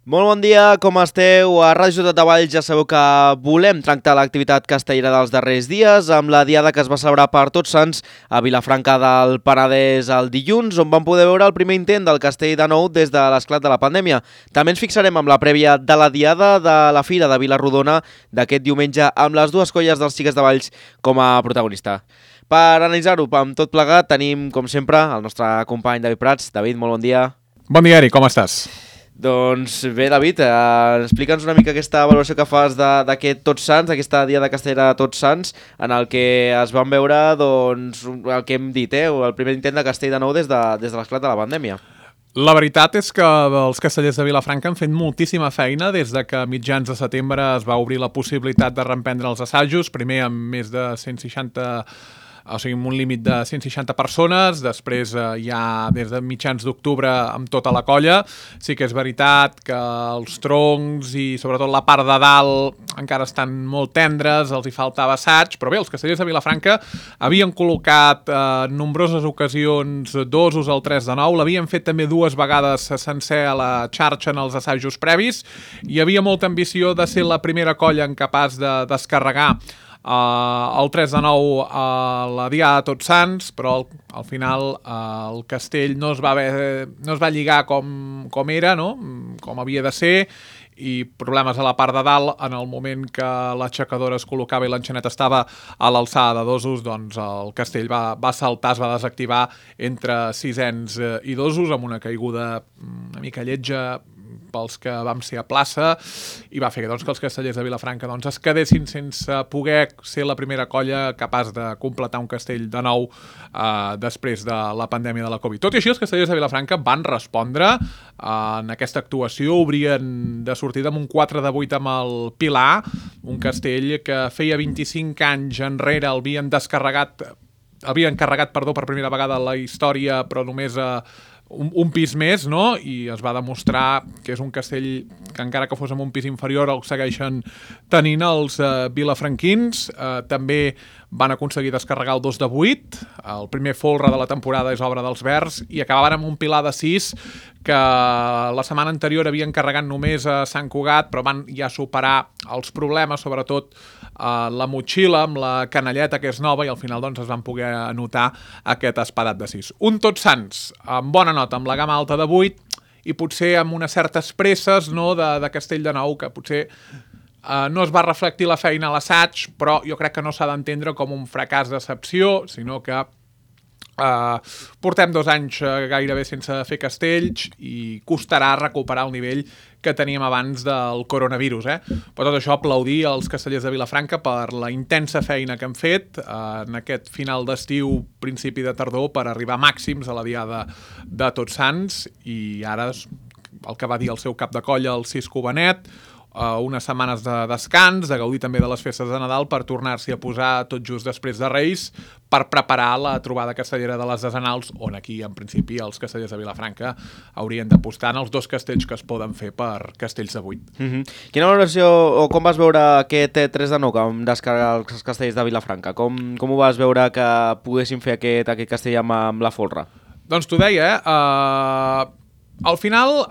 Molt bon dia, com esteu? A Ràdio Ciutat de Valls ja sabeu que volem tractar l'activitat castellera dels darrers dies amb la diada que es va celebrar per Tots Sants a Vilafranca del Penedès el dilluns, on vam poder veure el primer intent del castell de nou des de l'esclat de la pandèmia. També ens fixarem amb la prèvia de la diada de la Fira de Vila-rodona d'aquest diumenge amb les dues colles dels Xiques de Valls com a protagonista. Per analitzar-ho amb tot plegat tenim, com sempre, el nostre company David Prats. David, molt bon dia. Bon dia, Eric, com estàs? Doncs bé, David, explica'ns una mica aquesta valoració que fas d'aquest Tots Sants, d'aquesta diada castellera de Tots Sants, en el que es van veure, doncs, el que hem dit, el primer intent de castell de nou des de l'esclat de la pandèmia. La veritat és que els castellers de Vilafranca han fet moltíssima feina des de que a mitjans de setembre es va obrir la possibilitat de reemprendre els assajos, primer amb més de 160, o sigui, amb un límit de 160 persones, després ja des de mitjans d'octubre amb tota la colla. Sí que és veritat que els troncs i sobretot la part de dalt encara estan molt tendres, els hi faltava assaig, però bé, els castellers de Vilafranca havien col·locat en nombroses ocasions dosos al 3 de 9, l'havien fet també dues vegades sencer a la xarxa en els assajos previs, hi havia molta ambició de ser la primera colla incapaç de descarregar el 3 de 9 a la Diada de Tots Sants, però al final el castell no es va lligar com era, no? Com havia de ser, i problemes a la part de dalt. En el moment que l'aixecadora es col·locava i l'enxanet estava a l'alçada de dosos, doncs el castell va saltar, es va desactivar entre sisens i dosos, amb una caiguda una mica lletja pels que vam ser a plaça, i va fer doncs, que els castellers de Vilafranca es quedessin sense poder ser la primera colla capaç de completar un castell de nou després de la pandèmia de la Covid. Tot i així, els castellers de Vilafranca van respondre en aquesta actuació, obrien de sortida amb un 4 de 8 amb el Pilar, un castell que feia 25 anys enrere havien carregat per primera vegada a la història, però només un pis més, no? I es va demostrar que és un castell que encara que fos amb un pis inferior el segueixen tenint els vilafranquins. També van aconseguir descarregar el 2 de 8, el primer folre de la temporada és obra dels Verds, i acabaven amb un Pilar de 6 que la setmana anterior havien carregat només a Sant Cugat, però van ja superar els problemes, sobretot la motxilla amb la canelleta, que és nova, i al final doncs, es van poder anotar aquest espadat de 6. Un Tots Sants amb bona nota, amb la gamma alta de 8, i potser amb unes certes presses, no, de castell de nou, que potser no es va reflectir la feina a l'assaig, però jo crec que no s'ha d'entendre com un fracàs d'excepció, sinó que portem 2 anys gairebé sense fer castells i costarà recuperar el nivell que teníem abans del coronavirus. Però tot això, aplaudir als castellers de Vilafranca per la intensa feina que han fet en aquest final d'estiu, principi de tardor, per arribar màxims a la Diada de Tots Sants, i ara el que va dir el seu cap de colla, el Cisco Benet, unes setmanes de descans, de gaudir també de les festes de Nadal, per tornar-s'hi a posar tot just després de Reis, per preparar la trobada castellera de les desenals, on aquí, en principi, els castellers de Vilafranca haurien d'apostar en els 2 castells que es poden fer per castells de 8. Quina valoració, o com vas veure aquest 3 de 9 que vam descarregar els castells de Vilafranca? Com ho vas veure que poguessin fer aquest castell amb la folre? Doncs t'ho deia, al final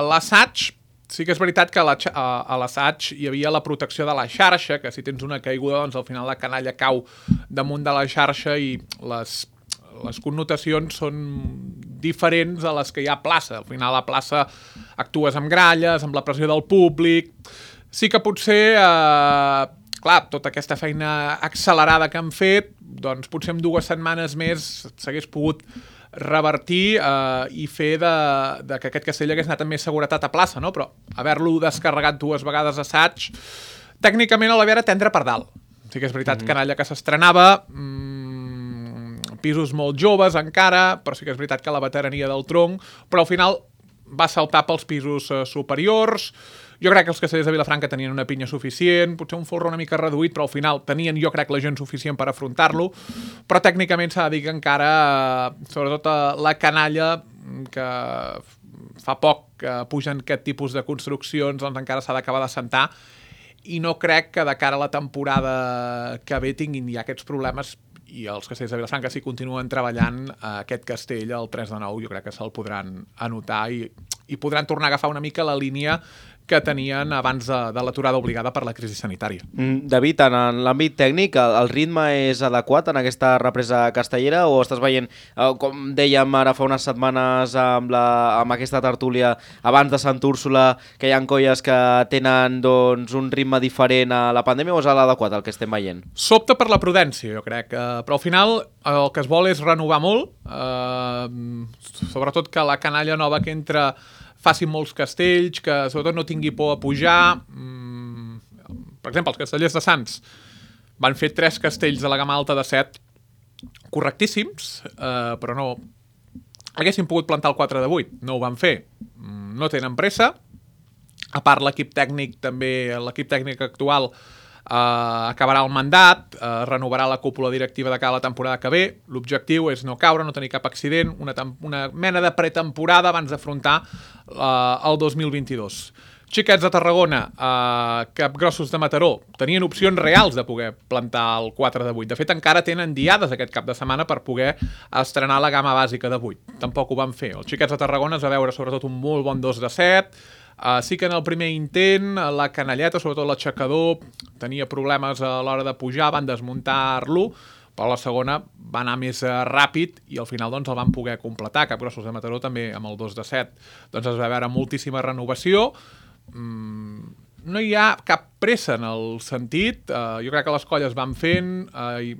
l'assaig, sí que és veritat que a l'assaig hi havia la protecció de la xarxa, que si tens una caiguda, doncs al final la canalla cau damunt de la xarxa i les connotacions són diferents a les que hi ha a plaça. Al final a plaça actues amb gralles, amb la pressió del públic. Sí que potser, clar, tota aquesta feina accelerada que han fet, doncs potser en 2 setmanes més s'hagués pogut revertir i fer que aquest castell hagués anat amb més seguretat a plaça, no? Però haver-lo descarregat 2 vegades a assaig, tècnicament l'havia de tendre per dalt. Sí que és veritat, canalla que s'estrenava, pisos molt joves encara, però sí que és veritat que la veterania del tronc, però al final va saltar pels pisos superiors. Jo crec que els castellers de Vilafranca tenien una pinya suficient, potser un folre una mica reduït, però al final tenien, jo crec, la gent suficient per afrontar-lo, però tècnicament s'ha de dir que encara, sobretot la canalla, que fa poc que pugen aquest tipus de construccions, doncs encara s'ha d'acabar d'assentar, i no crec que de cara a la temporada que ve tinguin ja aquests problemes i els castells de Vilafranca si continuen treballant aquest castell el 3 de 9 jo crec que se'l podran anotar i podran tornar a agafar una mica la línia que tenien abans de l'aturada obligada per la crisi sanitària. David, en l'àmbit tècnic, el ritme és adequat en aquesta represa castellera o estàs veient, com dèiem ara fa unes setmanes amb aquesta tertúlia abans de Sant Úrsula, que hi ha colles que tenen un ritme diferent a la pandèmia o és l'adequat el que estem veient? S'opta per la prudència, jo crec, però al final el que es vol és renovar molt, sobretot que la canalla nova que entra facin molts castells, que sobretot no tingui por a pujar. Per exemple, els castellers de Sants van fer 3 castells a la gamma alta de 7 correctíssims, però no haguessin pogut plantar el 4 de 8, no ho van fer. No tenen pressa. A part, l'equip tècnic actual acabarà el mandat, renovarà la cúpula directiva de cara a la temporada que ve. L'objectiu és no caure, no tenir cap accident, una mena de pretemporada abans d'afrontar el 2022. Xiquets de Tarragona, Capgrossos de Mataró, tenien opcions reals de poder plantar el 4 de 8. De fet, encara tenen diades aquest cap de setmana per poder estrenar la gamma bàsica de 8. Tampoc ho van fer. Els Xiquets de Tarragona es va veure sobretot un molt bon 2 de 7. Sí que en el primer intent la canalleta, sobretot l'aixecador, tenia problemes a l'hora de pujar, van desmuntar-lo, però la segona va anar més ràpid i al final doncs, el van poder completar. Capgrossos de Mataró també amb el 2 de 7 doncs, es va veure moltíssima renovació. No hi ha cap pressa en el sentit. Jo crec que les colles van fent i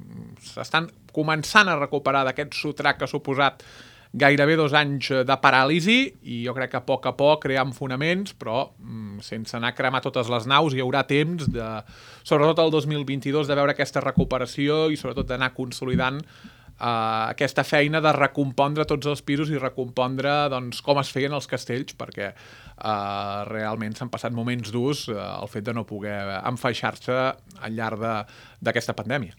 s'estan començant a recuperar d'aquest sotrac que ha suposat gairebé 2 anys de paràlisi i jo crec que a poc creant fonaments, però sense anar a cremar totes les naus hi haurà temps, sobretot el 2022, de veure aquesta recuperació i sobretot d'anar consolidant aquesta feina de recompondre tots els pisos i recompondre doncs, com es feien els castells, perquè realment s'han passat moments durs el fet de no poder enfaixar-se al llarg d'aquesta pandèmia.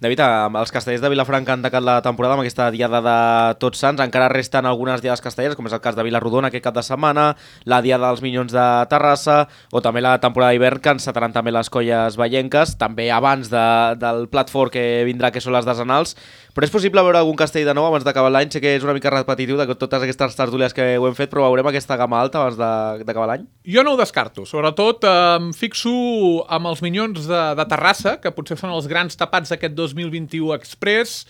David, els castellers de Vilafranca han tancat la temporada amb aquesta diada de Tots Sants. Encara resten algunes diades castelleres, com és el cas de Vilarrodona aquest cap de setmana, la diada dels Minyons de Terrassa o també la temporada d'hivern que encetaran també les colles vallenques, també abans del plat fort que vindrà, que són les desenals. Però és possible veure algun castell de nou abans d'acabar l'any? Sé que és una mica repetitiu de totes aquestes tertúlies que ho hem fet, però veurem aquesta gamma alta abans d'acabar l'any? Jo no ho descarto. Sobretot em fixo amb els Minyons de Terrassa, que potser són els grans tapats d'aquest 2021 Express.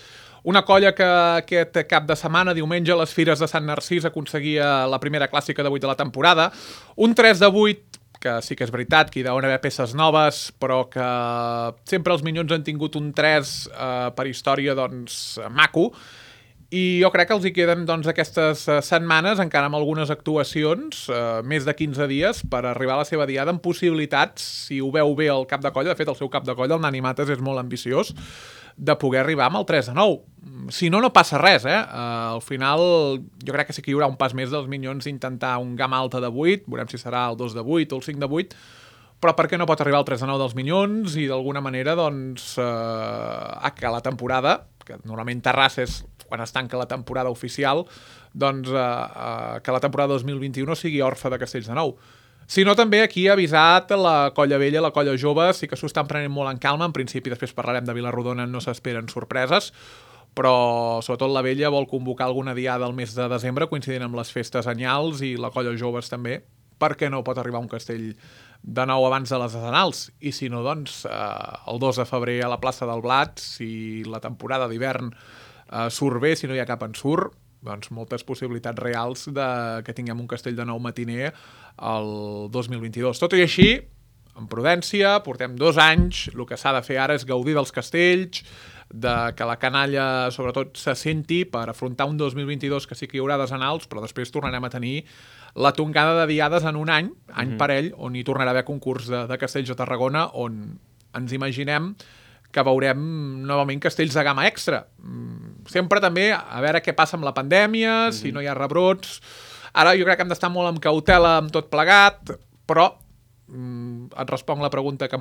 Una colla que aquest cap de setmana, diumenge, a les Fires de Sant Narcís aconseguia la primera clàssica de 8 de la temporada. Un 3 de 8 que sí que és veritat que hi deuen haver peces noves, però que sempre els Minyons han tingut un 3 per història doncs, maco, i jo crec que els hi queden doncs, aquestes setmanes, encara amb algunes actuacions, més de 15 dies, per arribar a la seva diada amb possibilitats, si ho veu bé el cap de colla, de fet el seu cap de colla, el Nani Mates, és molt ambiciós, de poder arribar amb el 3 de 9. Si no, no passa res, Al final, jo crec que sí que hi haurà un pas més dels Minyons intentar un gamma alta de 8, veurem si serà el 2 de 8 o el 5 de 8, però per què no pot arribar al 3 de 9 dels Minyons i d'alguna manera, doncs, que la temporada, que normalment Terrassa és quan es tanca la temporada oficial, doncs que la temporada 2021 sigui orfa de castells de nou. Si no, també aquí ha avisat la colla vella, la colla jove, sí que s'ho estan prenent molt en calma, en principi després parlarem de Vilarrodona, no s'esperen sorpreses, però sobretot la vella vol convocar alguna diada al mes de desembre, coincidint amb les festes anyals, i la colla joves també, perquè no pot arribar un castell de nou abans de les desenals, i si no, doncs, el 2 de febrer a la plaça del Blat, si la temporada d'hivern surt bé, si no hi ha cap ensurt, doncs moltes possibilitats reals que tinguem un castell de nou matiner el 2022. Tot i així, amb prudència, portem 2 anys, el que s'ha de fer ara és gaudir dels castells, que la canalla sobretot se senti per afrontar un 2022 que sí que hi haurà desenals, però després tornarem a tenir la tongada de diades en un any parell, on hi tornarà a haver concurs de castells a Tarragona, on ens imaginem que veurem novament castells de gamma extra. Sempre també a veure què passa amb la pandèmia, si no hi ha rebrots. Ara jo crec que hem d'estar molt amb cautela amb tot plegat, però et responc la pregunta que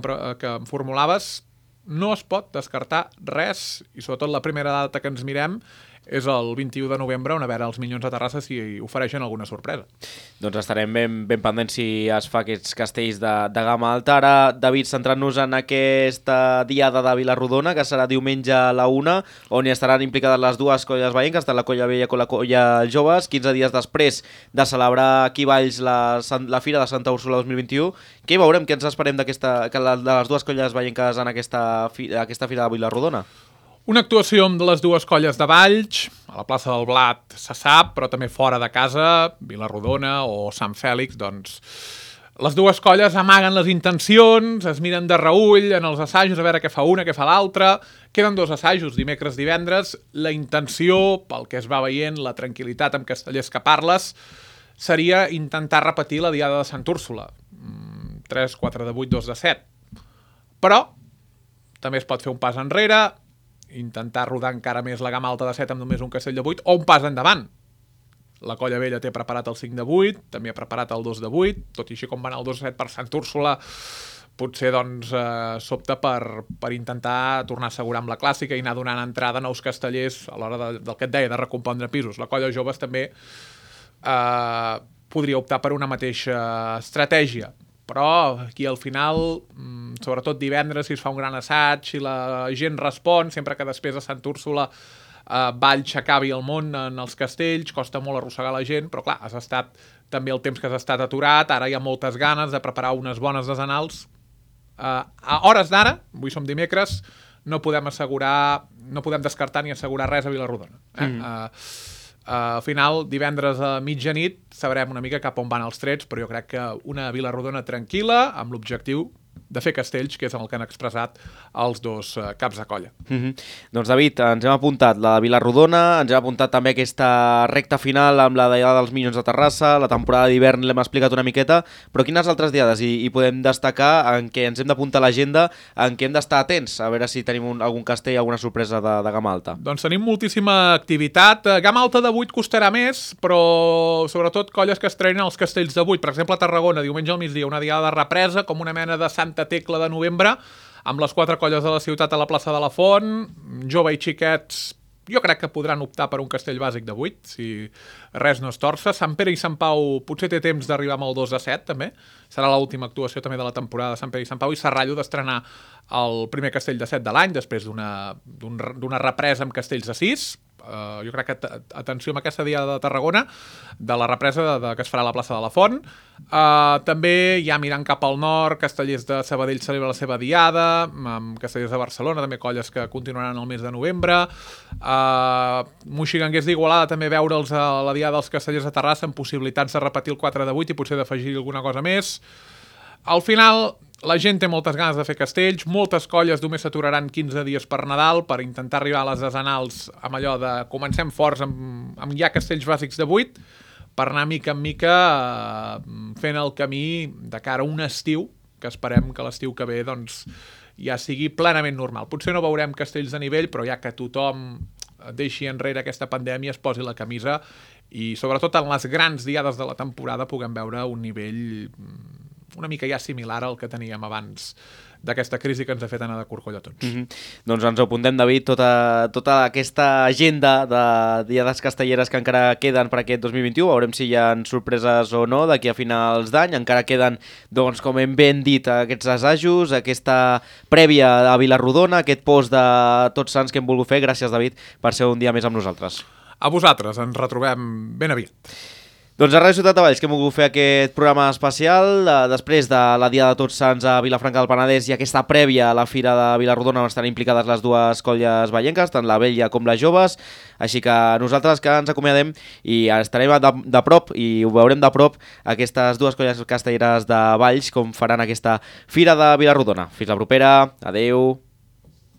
em formulaves, no es pot descartar res, i sobretot la primera data que ens mirem és el 21 de novembre, on a veure els Minyons de Terrassa si ofereixen alguna sorpresa. Doncs estarem ben pendents si es fa aquests castells de gamma alta. Ara, David, centrant-nos en aquesta diada de Vila-rodona, que serà diumenge a la 1, on hi estaran implicades les dues colles veïnques, tant la colla vella com la colla joves, 15 dies després de celebrar aquí a Valls la Fira de Santa Úrsula 2021. Què veurem, què ens esperem de les dues colles veïnques en aquesta Fira de Vila-rodona? Una actuació amb les dues colles de Valls, a la plaça del Blat se sap, però també fora de casa, Vila-rodona o Sant Fèlix, doncs les dues colles amaguen les intencions, es miren de reüll en els assajos a veure què fa una, què fa l'altra. Queden 2 assajos, dimecres, divendres. La intenció, pel que es va veient, la tranquil·litat amb castellers que parles, seria intentar repetir la diada de Sant Úrsula. 3, 4 de 8, 2 de 7. Però també es pot fer un pas enrere, intentar rodar encara més la gamma alta de 7 amb només un castell de 8, o un pas endavant. La colla vella té preparat el 5 de 8, també ha preparat el 2 de 8, tot i així com va anar el 2 de 7 per Sant Úrsula, potser doncs s'opta per intentar tornar a assegurar amb la clàssica i anar donant entrada a nous castellers a l'hora del que et deia, de recompondre pisos. La colla joves també podria optar per una mateixa estratègia, però aquí al final, sobretot divendres, si es fa un gran assaig, si la gent respon, sempre que després a Sant Úrsula Valls s'acabi el món en els castells, costa molt arrossegar la gent, però clar, has estat també el temps que has estat aturat, ara hi ha moltes ganes de preparar unes bones desenals. A hores d'ara, avui som dimecres, no podem descartar ni assegurar res a Vila-rodona. Al final, divendres a mitjanit, sabrem una mica cap on van els trets, però jo crec que una Vila-rodona tranquil·la, amb l'objectiu de fer castells, que és el que han expressat els dos caps de colla. Doncs David, ens hem apuntat la de Vila-rodona, ens hem apuntat també aquesta recta final amb la diada dels Minyons de Terrassa, la temporada d'hivern l'hem explicat una miqueta, però quines altres diades hi podem destacar en què ens hem d'apuntar a l'agenda, en què hem d'estar atents, a veure si tenim algun castell, alguna sorpresa de gamma alta? Doncs tenim moltíssima activitat. Gamma alta de 8 costarà més, però sobretot colles que estrenen els castells de 8. Per exemple, a Tarragona, diumenge al migdia, una diada de represa, com una mena de Santa Tecla de novembre, amb les 4 colles de la ciutat a la plaça de la Font, jove i xiquets, jo crec que podran optar per un castell bàsic de 8, si res no es torça. Sant Pere i Sant Pau potser té temps d'arribar amb el 2 de 7, també. Serà l'última actuació també de la temporada de Sant Pere i Sant Pau, i Serrallo d'estrenar el primer castell de 7 de l'any, després d'una represa amb castells de 6. Jo crec que atenció amb aquesta diada de Tarragona, de la represa que es farà a la plaça de la Font. També ja mirant cap al nord, Castellers de Sabadell celebra la seva diada, amb Castellers de Barcelona, també colles que continuaran el mes de novembre. Moixiganguers d'Igualada també veure'ls a la diada dels Castellers de Terrassa amb possibilitats de repetir el 4 de 8 i potser d'afegir alguna cosa més. Al final, la gent té moltes ganes de fer castells, moltes colles només s'aturaran 15 dies per Nadal per intentar arribar a les desenals amb allò de comencem forts amb ja castells bàsics de 8, per anar mica en mica fent el camí de cara a un estiu, que esperem que l'estiu que ve doncs, ja sigui plenament normal. Potser no veurem castells de nivell, però ja que tothom deixi enrere aquesta pandèmia, es posi la camisa i sobretot en les grans diades de la temporada puguem veure un nivell una mica ja similar al que teníem abans d'aquesta crisi que ens ha fet anar de corcoll a tots. Doncs ens ho apuntem, David, tota aquesta agenda de diades castelleres que encara queden per aquest 2021. Veurem si hi ha sorpreses o no d'aquí a finals d'any. Encara queden, doncs, com hem ben dit, aquests assajos, aquesta prèvia a Vila-rodona, aquest post de Tots Sants que hem volgut fer. Gràcies, David, per ser un dia més amb nosaltres. A vosaltres, ens retrobem ben aviat. Doncs a Ràdio Ciutat de Valls que hem volgut fer aquest programa especial després de la Diada de Tots Sants a Vilafranca del Penedès i aquesta prèvia a la Fira de Vila-rodona on estan implicades les dues colles vallenques, tant la vella com les joves, així que nosaltres que ens acomiadem i estarem de prop i ho veurem de prop aquestes dues colles castelleres de Valls com faran aquesta Fira de Vila-rodona. Fins la propera, adeu.